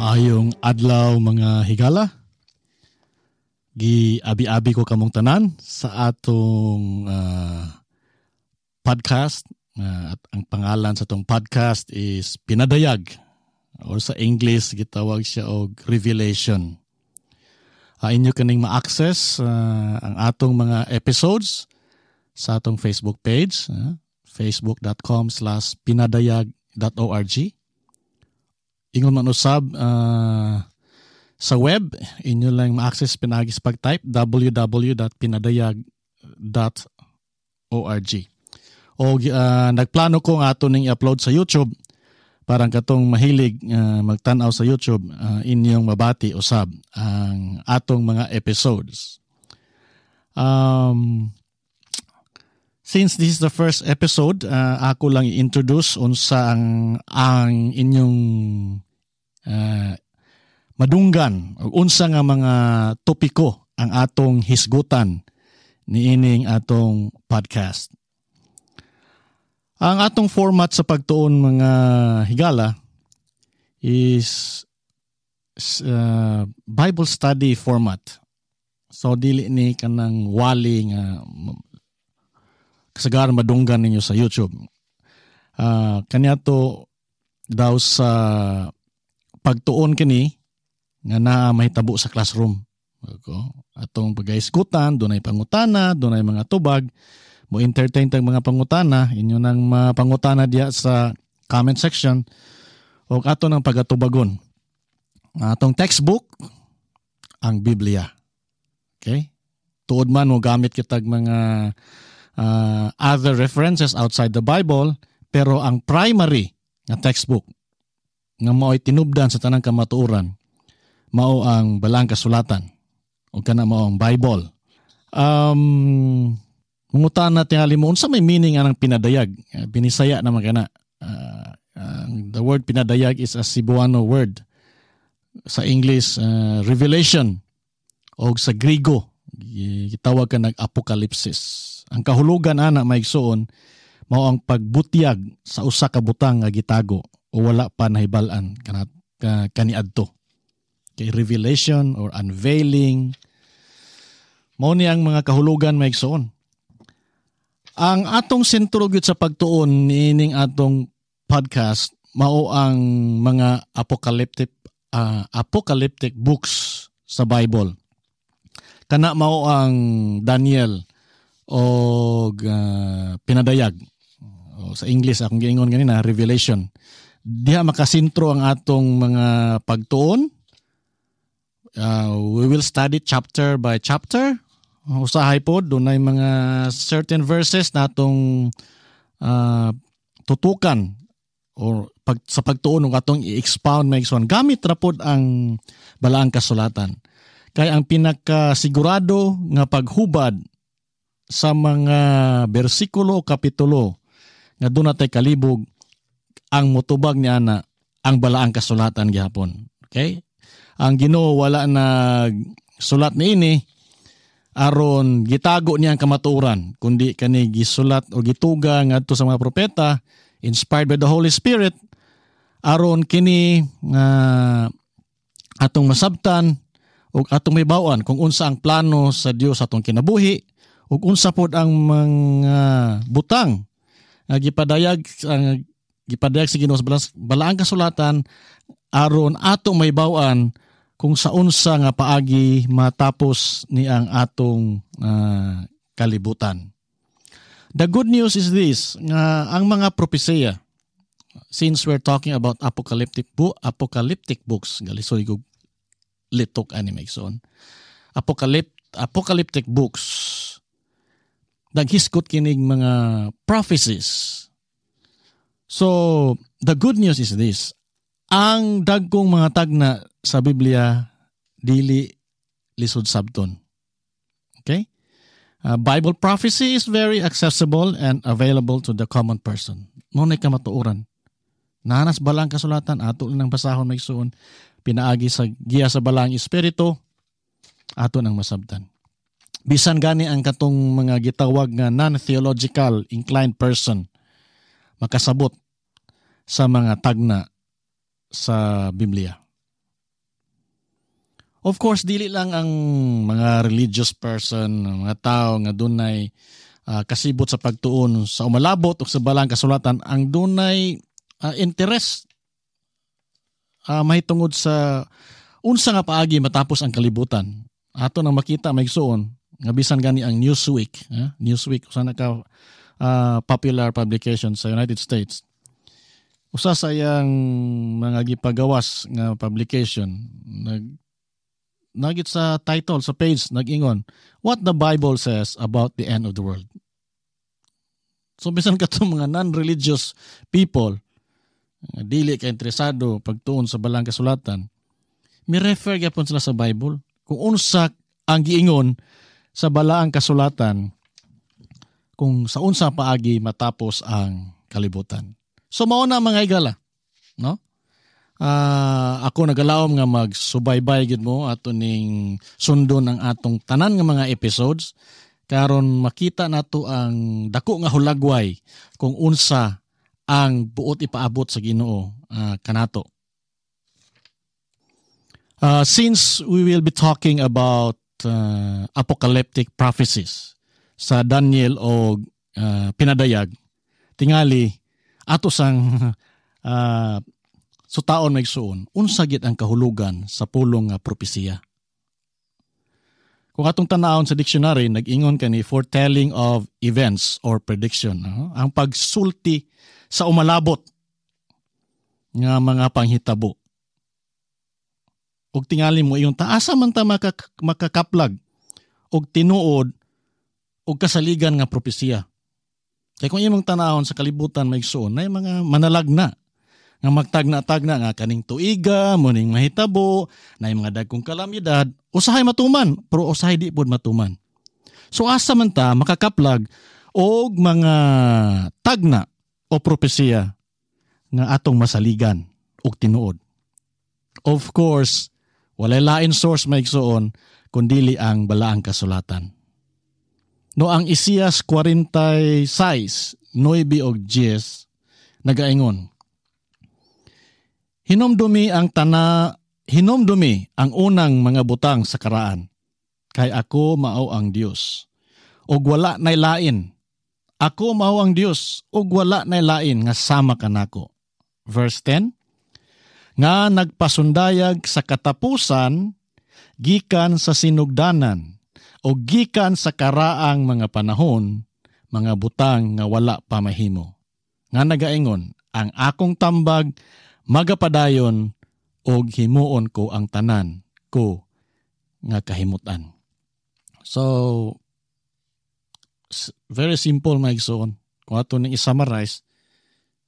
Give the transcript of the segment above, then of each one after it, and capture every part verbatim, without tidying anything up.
Maayong adlaw, mga higala. Gi-abi-abi ko kamong tanan sa atong uh, podcast. Uh, at ang pangalan sa atong podcast is Pinadayag or sa English gitawag siya og Revelation. Uh, inyo kaning ma-access uh, ang atong mga episodes sa atong Facebook page, uh, facebook dot com slash pinadayag dot org. Ingon man usab uh, sa web, inyo lang ma-access pinaagi sa pag-type w w w dot pinadayag dot org. O uh, nagplano ko nga ato ning i-upload sa YouTube parang katong mahilig uh, magtan-aw sa YouTube, uh, inyong mabati usab ang atong mga episodes. Um, since this is the first episode, uh, ako lang i-introduce unsa ang ang inyong uh, madunggan o unsa nga mga topiko ang atong hisgutan niining atong podcast. Ang atong format sa pagtuon, mga higala, is uh, Bible study format. So dili ni kanang wali nga kasagaran madunggan ninyo sa YouTube. Uh, kanya to daw sa pagtuon kini nga naa mahitabo sa classroom. Okay. Atong pagahisgutan, dunay pangutana, dunay mga tubag, mo entertain tag mga pangutana, inyo nang mapangutana diya sa comment section o ato nang pagatubagon. Atong textbook, ang Biblia. Okay? Tuod man mo gamit kitag mga uh, other references outside the Bible, pero ang primary nga textbook nga mao'y tinubdan sa tanang kamatuoran mao ang Balaang Kasulatan o kana mao ang Bible. Um, Mangutana tingali mo unsa may meaning anang pinadayag? Uh, binisaya naman kana. Uh, uh, the word pinadayag is a Cebuano word. Sa English, uh, revelation, o sa Grigo gitawag ka nag apokalipsis. Ang kahulugan ana, maigsuon, mao ang pagbutyag sa usa ka butang nga gitago o wala pa nahibal-an kanat ka, kaniadto. Kay revelation or unveiling, mao ni ang mga kahulugan, maigsuon. Ang atong sentro gyud sa pagtuon niining atong podcast mao ang mga apocalyptic uh, apocalyptic books sa Bible. Kana mao ang Daniel o uh, Pinadayag. O sa English, akong giingon ganina, Revelation. Diha makasentro ang atong mga pagtuon. Uh, we will study chapter by chapter. Usahay po, dunay mga certain verses na atong uh, tutukan or pag, sa pagtuon ng atong i-expound, maigsoon, gamit ra pod ang Balaang Kasulatan. Kay ang pinakasigurado nga paghubad sa mga bersikulo o kapitulo nga duna tay kalibog, ang mutubag ni ana ang Balaang Kasulatan gihapon. Okay? Ang Ginoo wala nag sulat niini aron gitago niya ang kamatuoran, kundi kani gisulat o gituga ngadto sa mga propeta inspired by the Holy Spirit aron kini nga atong masabtan ug atong mahibaw-an kung unsa ang plano sa Dios atong kinabuhi ug unsa pod ang mga butang nga gipadayag ang gipadayag sa Ginoo sa Balaang Kasulatan aron atong mahibaw-an kung sa unsa nga paagi matapos ni ang atong uh, kalibutan. The good news is this, nga ang mga propesiya, since we're talking about apocalyptic book, apocalyptic books, galisoy ko litok ani, maigsoon. Apocalypt apocalyptic books, naghisgot kinig mga prophecies. So, the good news is this. Ang dagkong mga tagna sa Biblia dili lisod sabton. Okay? Uh, Bible prophecy is very accessible and available to the common person. Mao na kamatuoran. Naa na sa Balaang Kasulatan, ato lang basahon, maigsuon, pinaagi sa giya sa Balaang Espiritu, ato nang masabtan. Bisan gani ang katong mga gitawag nga non-theological inclined person makasabot sa mga tagna sa Biblia. Of course, dili lang ang mga religious person, mga tao nga dunay uh, kasibot sa pagtuon sa umalabot o sa balaang kasulatan ang dunay uh, interest uh, mahitungod sa unsa nga paagi matapos ang kalibutan. Ato nang makita, mga igsuon, nga bisan gani ang Newsweek, eh? Newsweek usa na ka uh, popular publication sa United States. Usa sa iyang mga gipagawas nga publication, nag nagit sa title sa page, nag-ingon, "What the Bible Says About the End of the World." So bisan katong mga non-religious people nga dili ka interesado pagtuon sa balaang kasulatan, mi refer gyapon sila sa Bible kung unsa ang giingon sa balaang kasulatan kung sa unsa paagi matapos ang kalibutan. So mao na, mga higala, no? Uh, ako nagalaom nga magsubaybay gid mo ato ning sundon ang atong tanan nga mga episodes karon makita nato ang dako nga hulagway kung unsa ang buot ipaabot sa Ginoo uh, kanato. Uh, since we will be talking about uh, apocalyptic prophecies sa Daniel o uh, pinadayag, tingali ato sang uh, sutaon, mga igsuon, unsa gid ang kahulugan sa pulong nga propesiya. Kung atong tanawon sa dictionary, nag-ingon kani, foretelling of events or prediction. Uh, ang pagsulti sa umalabot nga mga panghitabo. Ug tingali mo iyong taasa man ta makak- makakaplag og tinuod og kasaligan nga propesiya. Kay kung imong tanawon sa kalibutan, mga igsuon, na mga manalagna nga magtagna-tagna nga kaning tuiga mo ning mahitabo na mga dagkong kalamidad, usahay matuman pero usahay di pud matuman. So asa man ta makakaplag og mga tagna o propesiya nga atong masaligan og tinuod? Of course, walay lain source, mga igsuon, kundili ang balaang kasulatan. No, ang Isaias forty-six, nine og ten nagaingon, "Hinumdumi ang tana hinumdumi ang unang mga butang sa karaan, kay ako mao ang Dios ug wala nay lain. Ako mao ang Dios ug wala nay lain nga sama kanako." Verse ten, "Nga nagpasundayag sa katapusan gikan sa sinugdanan o gikan sa karaang mga panahon mga butang nga wala pa mahimo. Nga nagaingon, ang akong tambag magapadayon og himuon ko ang tanan ko nga kahimutan." So very simple, mga igsoon. Kung ato ning i-summarize,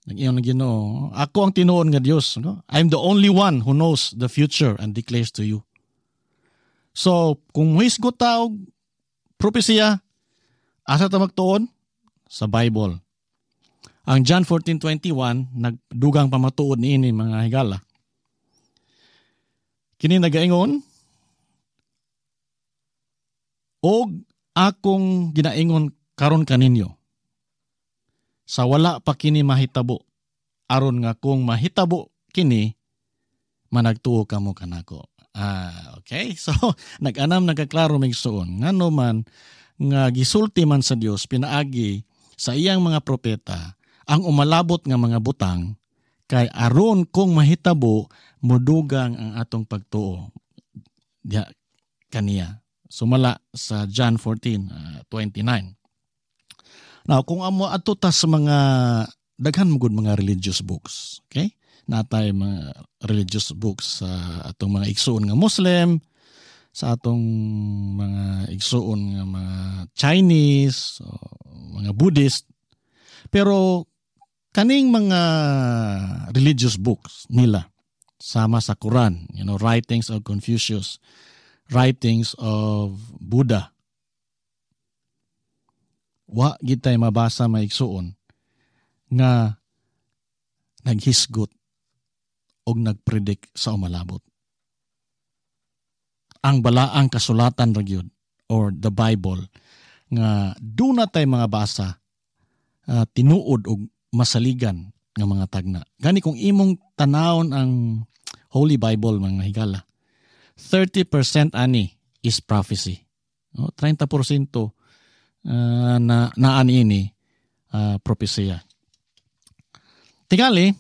nag-ingon ang Ginoo, "Ako ang tinuod nga Dios, no? I'm the only one who knows the future and declares to you." So, kung muhisgot ta og propesiya, asa ta magtuon? Sa Bible. Ang John fourteen twenty-one nagdugang pamatuod niini, mga higala. Kini nagaingon, "Og akong ginaingon karon kaninyo sa wala pa kini mahitabo aron nga kung mahitabo kini, managtuo kamo kanako." Ah, okay. So nag-anam nagkaklaro, mga igsuon, ngano man nga gisulti man sa Dios pinaagi sa iyang mga propeta ang umalabot nga mga butang kay aron kung mahitabo, mudugang ang atong pagtuo diha kaniya, sumala sa John fourteen uh, twenty-nine. Now, kung amo adto ta sa mga daghan mo gud mga religious books, okay? Natay mga religious books sa atong mga igsuon nga Muslim, sa atong mga igsuon nga mga Chinese, o mga Buddhist. Pero kaning mga religious books nila sama sa Quran, you know, writings of Confucius, writings of Buddha, wa gitay mabasa, mga igsuon, nga naghisgot og nagpredict sa umalabot. Ang balaang kasulatan ra gyud or the Bible nga duna tay mga basa uh, tinuod og masaligan nga mga tagna. Gani kung imong tanawon ang Holy Bible, mga higala, thirty percent ani is prophecy. No, thirty percent uh, na naan ini uh, propesiya. Tingali,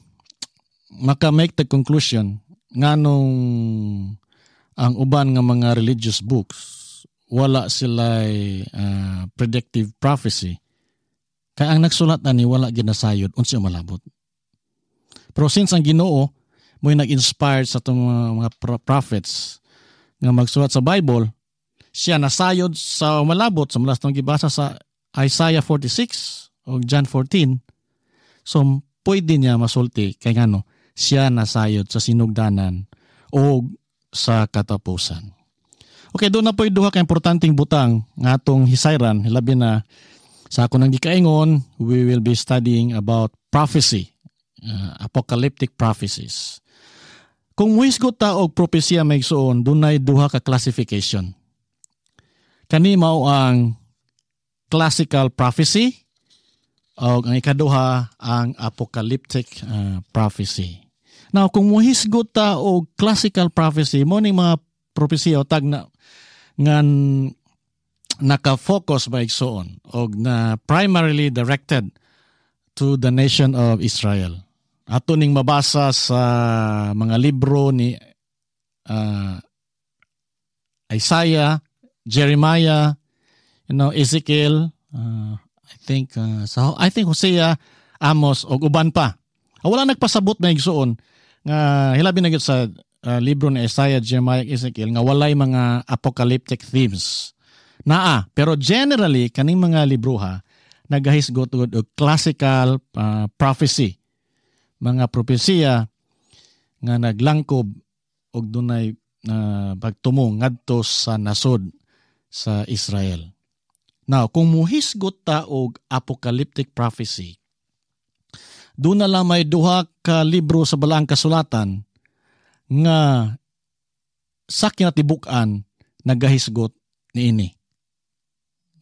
maka-make the conclusion nganong ang uban nga mga religious books wala sila uh, predictive prophecy, kay ang nagsulat ani wala ginasayod unsa malabot. Pero since ang Ginoo mo'y nag-inspired sa atong mga, mga prophets nga magsulat sa Bible, siya nasayod sa malabot sa mga atong gibasa sa Isaiah forty-six o John fourteen. So pwede niya masulti kay ngano siya nasayod sa sinugdanan o sa katapusan. Okay, duna po'y duha ka importanteng butang nga atong hisayran, labi na sa ako nang gikaingon, we will be studying about prophecy, uh, apocalyptic prophecies. Kung muhisgot ta og propesya, mga igsoon, dunay duha ka classification. Kani mao ang classical prophecy o ang ikaduha ang apocalyptic uh, prophecy. Now, kung muhisgot ta og classical prophecy, mao ning mga propesiya o tagna nga naka-focus ba, igsoon, og na primarily directed to the nation of Israel. Ato ning mabasa sa mga libro ni uh, Isaiah, Jeremiah, you know, Ezekiel, uh, I think uh, sa I think Hosea, Amos ug uban pa. Ah, wala nagpasabot, mga igsoon, nga hilabi na gyud sa uh, libro ni Isaiah, Jeremiah, Ezekiel nga walay mga apocalyptic themes. Naa, pero generally kaning mga libroha nagahisgot og classical uh, prophecy. Mga propesiya nga naglangkob og dunay uh, pagtumong ngadto sa nasod sa Israel. Now, kung muhisgot ta og apocalyptic prophecy, duna lang may duha ka libro sa Balaang Kasulatan nga sa kinatibuk-an nagahisgot niini.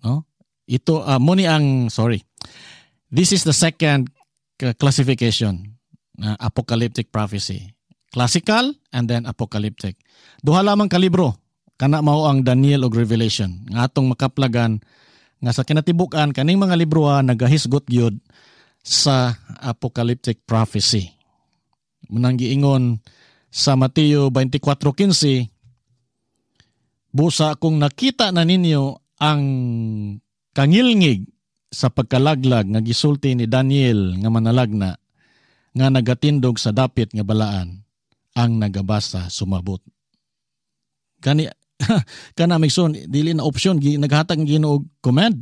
No? Ito uh, mao ni ang, sorry. This is the second classification, uh, apocalyptic prophecy. Classical and then apocalyptic. Duha lamang ka libro, kana mao ang Daniel ug Revelation nga atong makaplagan nga sa kinatibuk-an kaning mga libro nagahisgot gyud sa apocalyptic prophecy. Mao nang giingon sa Mateo twenty-four fifteen, "Busa kung nakita na ninyo ang kangilngig sa pagkalaglag nga gisulti ni Daniel nga manalagna nga nagatindog sa dapit nga balaan, ang nagabasa sumabot." Kani kana, mga igsoon, dili na option, naghatag ang Ginoo command.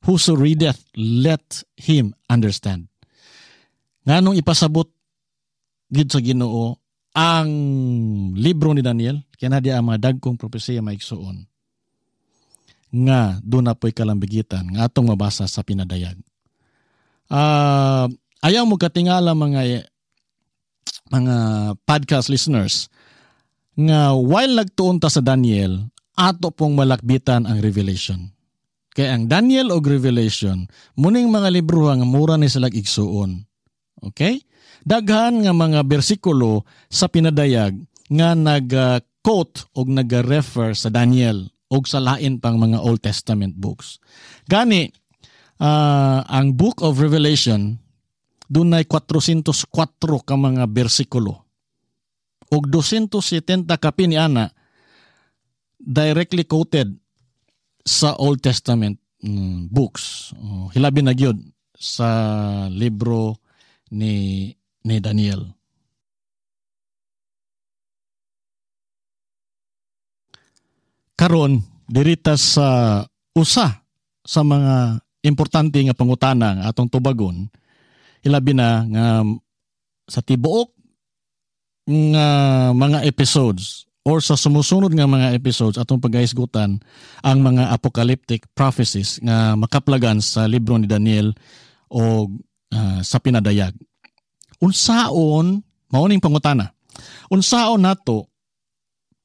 "Whoso readeth, let him understand." Nganong ipasabot gid sa Ginoo ang libro ni Daniel? Kaya na di ang mga dagkong propesiya, mga igsoon, nga duna po'y kalambigitan nga atong mabasa sa pinadayag. Uh, ayaw mo katingala, mga mga podcast listeners, nga while nagtuon ta sa Daniel, ato pong malakbitan ang Revelation. Kaya ang Daniel og Revelation, mao ning mga libro nga mura ni sila igsuon. Okay? Daghan nga mga bersikulo sa pinadayag nga nag-quote og nag-refer sa Daniel og sa lain pang mga Old Testament books. Gani, uh, ang Book of Revelation dunay four hundred four ka mga bersikulo og two hundred seventy kapin ni ana directly quoted sa Old Testament mm, books. Oh, hilabi na gyud sa libro ni ni Daniel. Karon, dirita sa usa sa mga importante nga pangutana nga atong tubagon, hilabi na nga sa tibuok nga mga episodes or sa sumusunod nga mga episodes, atong pagahisgutan ang mga apocalyptic prophecies nga makaplagan sa libro ni Daniel o uh, sa pinadayag. Unsaon, mao ning pangutana, unsaon nato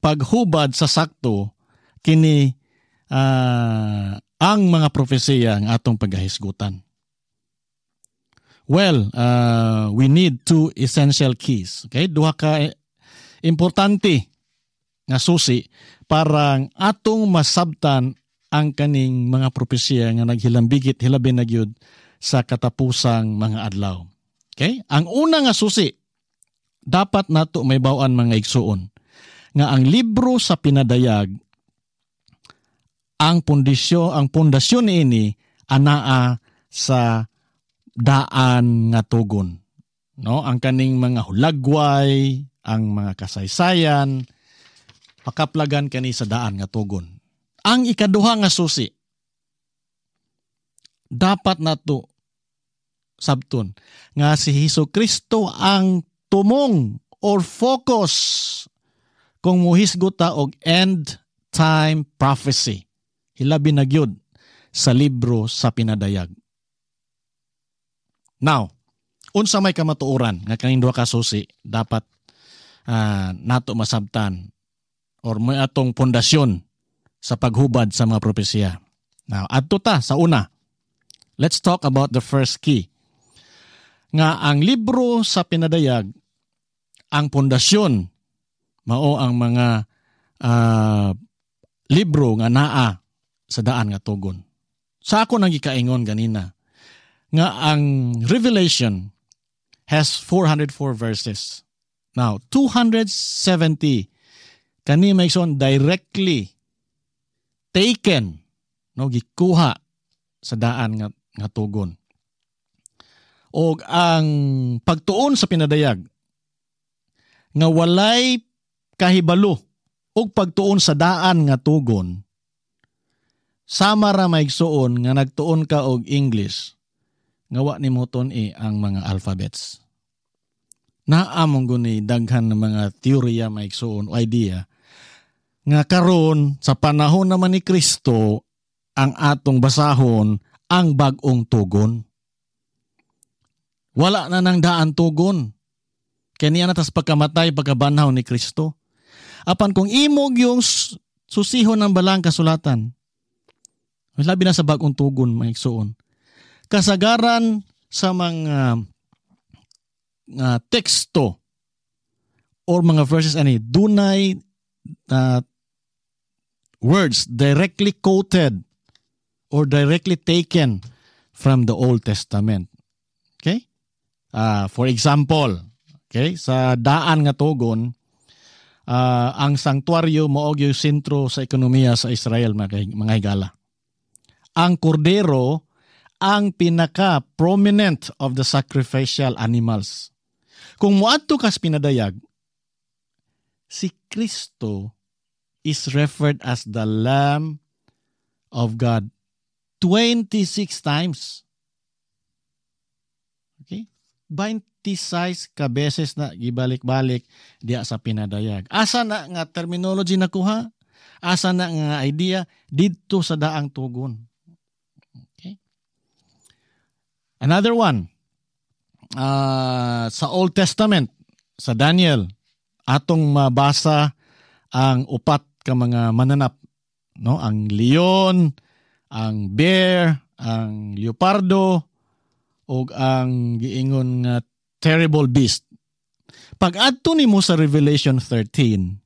paghubad sa sakto kini uh, ang mga propesiya nga atong pagahisgutan? Well, uh, we need two essential keys. Okay? Duha ka importante nga susi para atong masabtan ang kaning mga propesiya nga naghilambigit hilabi na gyud sa katapusang mga adlaw. Okay? Ang una nga susi dapat nato mahibaw-an, mga igsuon, nga ang libro sa Pinadayag, ang pundisyon ang pundasyon niini anaa sa daan nga tugon, no? Ang kaning mga hulagway, ang mga kasaysayan, makaplagan kani sa daan nga tugon. Ang ikaduha nga susi dapat nato sabton nga si Hesus Kristo ang tumong or focus kung muhisgot ta og end time prophecy, hilabi na gyud sa libro sa Pinadayag. Now, unsa may kamatuoran nga kaning duha ka susi dapat uh, nato masabtan or may atong pundasyon sa paghubad sa mga propesiya? Now, adto ta sa una. Let's talk about the first key. Nga ang libro sa Pinadayag, ang pundasyon mao ang mga uh, libro nga naa sa daan nga tugon. Sa ako nang gikaingon ganina nga ang Revelation has four hundred four verses. Now, two hundred seventy kani, mga igsoon, directly taken, no, gikuha sa daan nga, nga tugon. Og ang pagtuon sa Pinadayag nga walay kahibalo og pagtuon sa daan nga tugon, sama ra, maigsuon, nga nagtuon ka og English nga wa nimo tun-i ang mga alphabets. Naa man guni daghan ng mga teorya, maigsuon, o idea nga karon sa panahon naman ni Kristo ang atong basahon ang bag-ong tugon. Wala na nang daan tugon. Kaya niya na tas pagkamatay, pagkabanhaw ni Kristo. Apan kung imong yung susihon ng balang kasulatan, labi na sa bag-ong tugon, maigsuon, kasagaran sa mga uh, teksto or mga verses ani dunay uh, words directly quoted or directly taken from the Old Testament. Okay? Uh, for example, okay, sa daan nga tugon, uh, ang sanktuaryo mao yung sentro sa ekonomiya sa Israel, mga, mga higala. Ang kordero ang pinaka prominent of the sacrificial animals. Kung muadto kas Pinadayag, si Kristo is referred as the Lamb of God twenty-six times. Okay? twenty-six ka beses na gibalik-balik diya sa Pinadayag. Asa na nga terminology nakuha? Asa na nga idea? Didto sa daang tugon. Okay? Another one. Uh, sa Old Testament, sa Daniel, atong mabasa ang upat ka mga mananap, no? Ang leon, ang bear, ang leopardo ug ang giingon nga terrible beast. Pag adto nimo sa Revelation thirteen,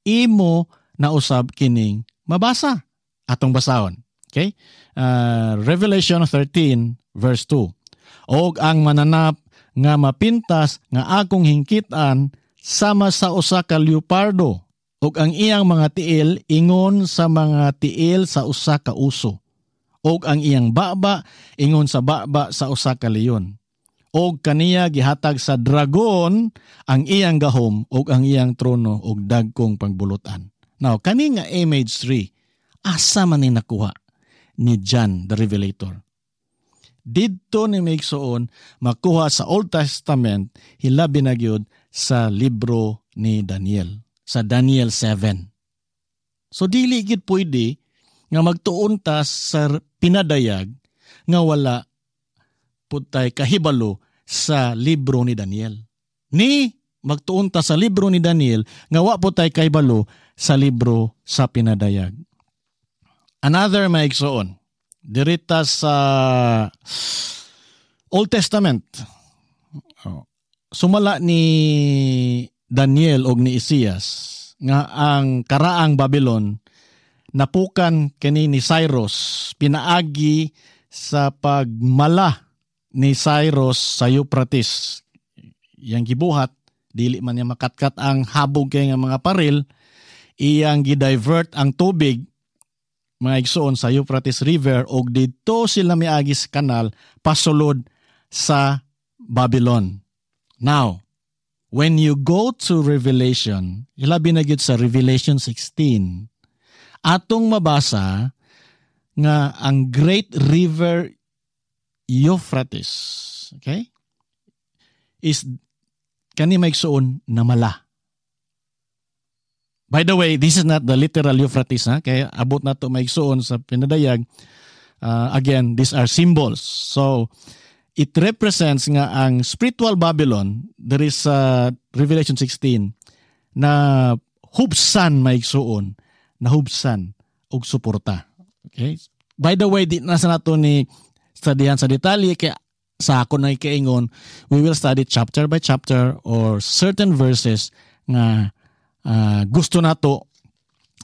imo nausab kining mabasa. Atong basahon. Okay? Uh, Revelation thirteen verse two. "Og ang mananap nga mapintas nga akong hingkitan sama sa usa ka leopardo ug ang iyang mga tiil ingon sa mga tiil sa usa ka uso ug ang iyang baba ingon sa baba sa usa ka leon. Og kaniya gihatag sa dragon ang iyang gahom ug ang iyang trono ug dagkong pangbulutan." Now, kani nga image three, asa man ni nakuha ni John the Revelator? Didto ni, maigsuon, makuha sa Old Testament, hilabi na gyud sa libro ni Daniel, sa Daniel seven. So dili gid pwede nga magtuon ta sa Pinadayag nga wala pud tay kahibalo sa libro ni Daniel. Ni magtuon ta sa libro ni Daniel nga wa pud tay kahibalo sa libro sa Pinadayag. Another, maigsuon, dirita sa Old Testament. Oh. Sumala ni Daniel og ni Isaias, nga ang karaang Babylon napukan kini ni Cyrus pinaagi sa pagmala ni Cyrus sa Euphrates. Iyang gibuhat, dili man niya makatkat ang habog kay nga mga paril, iyang gi-divert ang tubig, mga igsoon, sa Euphrates River og didto sila miagi sa kanal pasulod sa Babylon. Now, when you go to Revelation, ilabi na gyud sa Revelation sixteen, atong mabasa nga ang Great River Euphrates, okay, is kani, mga igsoon, namala. By the way, this is not the literal Euphrates, ha? Kaya abot na to, mga igsoon, sa Pinadayag. Uh, again, these are symbols. So, it represents nga ang spiritual Babylon, there is uh, Revelation sixteen, na hubsan, mga igsoon, na hubsan og suporta. Okay? By the way, di na sa nato ni studyhan sa detalye kaya sa ako na ikaingon, we will study chapter by chapter or certain verses nga uh, gusto nato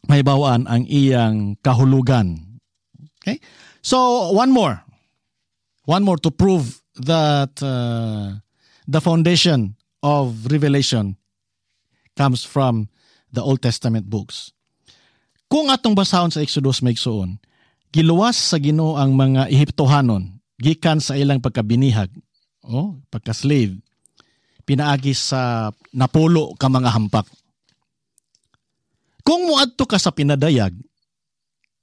mahibawaan ang iyang kahulugan. Okay? So, one more. One more to prove that uh, the foundation of Revelation comes from the Old Testament books. Kung atong basahon sa Exodus, mga igsoon, giluwas sa Ginoo ang mga Ehiptohanon gikan sa ilang pagkabinihag o pagka-slave pinaagi sa napulo ka mga hampak. Kung moadto ka sa Pinadayag,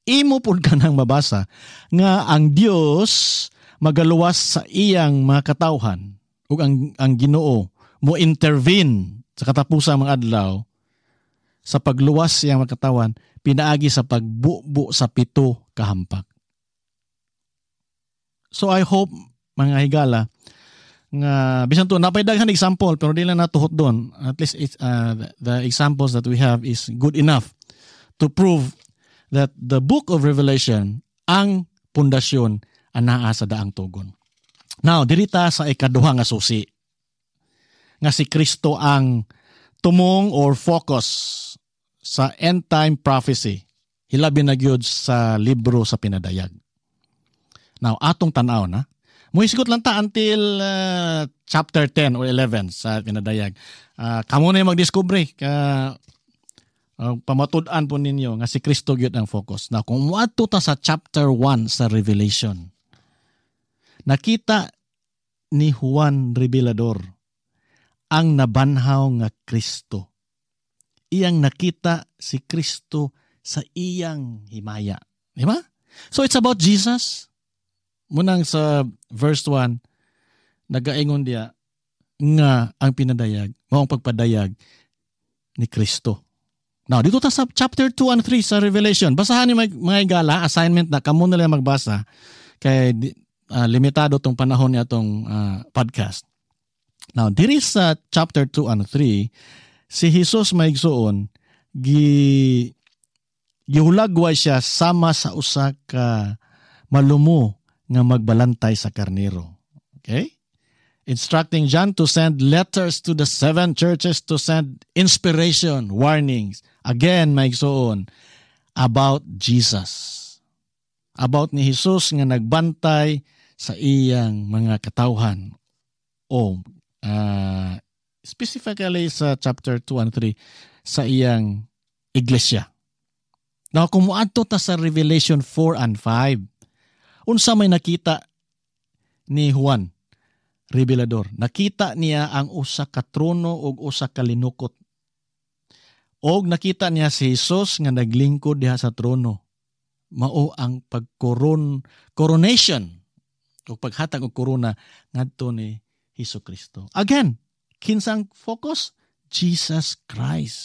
imo pud ka nang mabasa nga ang Dios magaluwas sa iyang mga katawhan ug ang ang Ginoo mo intervene sa katapusan mga adlaw sa pagluwas sa iyang mga katawhan pinaagi sa pagbubo sa pito ka hampak. So I hope, mga higala, nga bisan to napay daghan example pero di lang natuhot doon. At least it's, uh, the, the examples that we have is good enough to prove that the book of Revelation ang pundasyon anaa sa Daang Tugon. Now, diri ta sa ikaduha nga susi nga si Kristo ang tumong or focus sa end time prophecy, hilabi na gyud sa libro sa Pinadayag. Now, atong tan-aw na. Muhisgot lang ta until uh, chapter ten or eleven sa Pinadayag. Uh, kamo na yung magdiskubre ka uh, pamatud-an po ninyo nga si Kristo gyud ang focus. Now, kung muadto ta sa chapter one sa Revelation, nakita ni Juan Revelador ang nabanhaw nga Kristo. Iyang nakita si Kristo sa iyang himaya. Di ba? So it's about Jesus. Munang sa verse one, nagaingon diya nga ang Pinadayag, mao ang pagpadayag ni Kristo. Now, dito ta sa chapter two and three sa Revelation. Basahan ni mga, mga igala, assignment na kamo na lang magbasa kay uh, limitado tong panahon niya tong uh, podcast. Now, diri sa chapter two and three, si Jesus, mga igsoon, gi gihulagway siya sama sa usa ka malumo nga magbalantay sa karnero. Okay? Instructing John to send letters to the seven churches to send inspiration, warnings. Again, mga igsoon, about Jesus. About ni Jesus nga nagbantay sa iyang mga katawhan. O uh, specifically sa chapter two and three sa iyang iglesia. Now, kung muadto ta sa Revelation four and five, unsa may nakita ni Juan Revelador? Nakita niya ang usa ka trono ug usa ka linukot. Og nakita niya si Jesus nga naglingkod diha sa trono. Mao ang pagkoron coronation o paghatag og korona ngadto ni Hesus Kristo. Again, kinsang focus? Jesus Christ.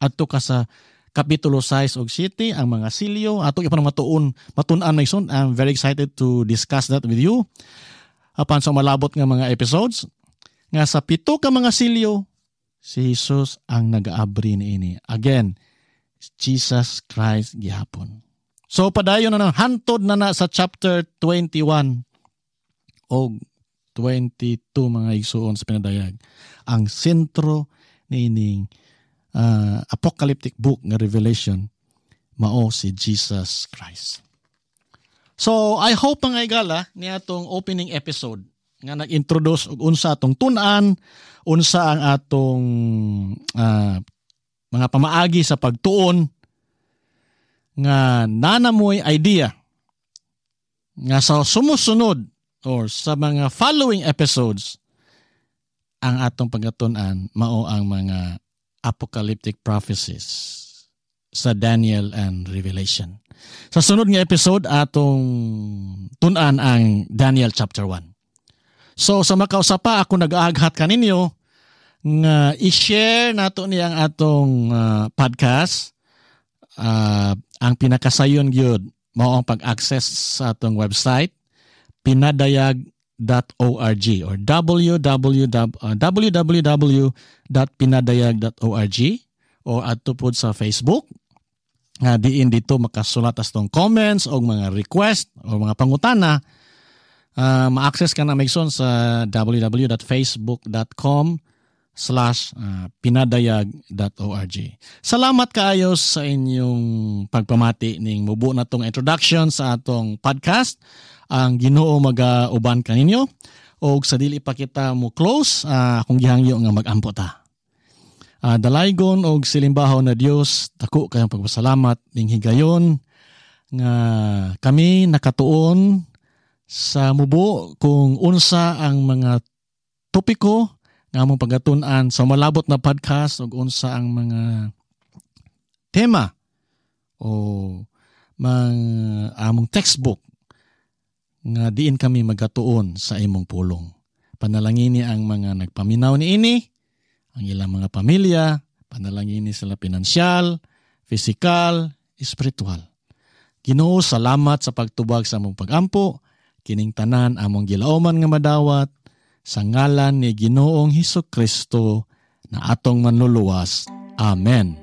Adto ka sa Kapitulo six og seven, ang mga silyo ato ipan matuon matun-an na soon. I'm very excited to discuss that with you apan sa malabot nga mga episodes nga sa pito ka mga silyo, si Jesus ang nagaabri niini. Again, Jesus Christ gihapon. So padayon na na hantod na na sa chapter twenty-one og twenty-two, mga igsuon, sa Pinadayag, ang sentro niining uh, apocalyptic book nga Revelation mao si Jesus Christ. So I hope, mga igala, ni atong opening episode nga nag-introduce og unsa atong tun-an, unsa ang atong uh, mga pamaagi sa pagtuon, nga naa na moy idea nga sa sumusunod or sa mga following episodes, ang atong pagkatun-an mao ang mga apocalyptic prophecies sa Daniel and Revelation. Sa sunod nga episode, atong tun-an ang Daniel chapter one. So sa makausa pa, ako nag-aaghat kaninyo nga i-share nato ni ang atong uh, podcast. Uh, ang pinakasayon gyud mao ang pag-access sa atong website, pinadayag dot org or W W W uh, W W W dot pinadayag dot org o adto pod sa Facebook nga diin dito makasulat atong comments o mga request o mga pangutana. uh, ma-access ka na Megson sa W W W dot facebook dot com slash uh, pinadayag dot org. Salamat kaayo sa inyong pagpamati ning mubo na tong introduction sa atong podcast. Ang Ginoo magauban kaninyo og sa dili pa kita mo close, uh, akong gihangyo nga magampo ta. Uh, dalaygon og silimbahaw na Dios, dako kayong pagpasalamat ning higayon nga kami nakatuon sa mubo kung unsa ang mga topiko nga among pagatun-an sa malabot na podcast ug unsa ang mga tema o mga among textbook nga diin kami magatuon sa imong pulong. Panalangini ang mga nagpaminaw niini, ang ilang mga pamilya, panalangini sila pinansyal, pisikal, espiritual. Ginoo, salamat sa pagtubag sa among pagampo, kining tanan among gilauman nga madawat sa ngalan ni Ginoong Hesus Kristo na atong Manluluwas. Amen.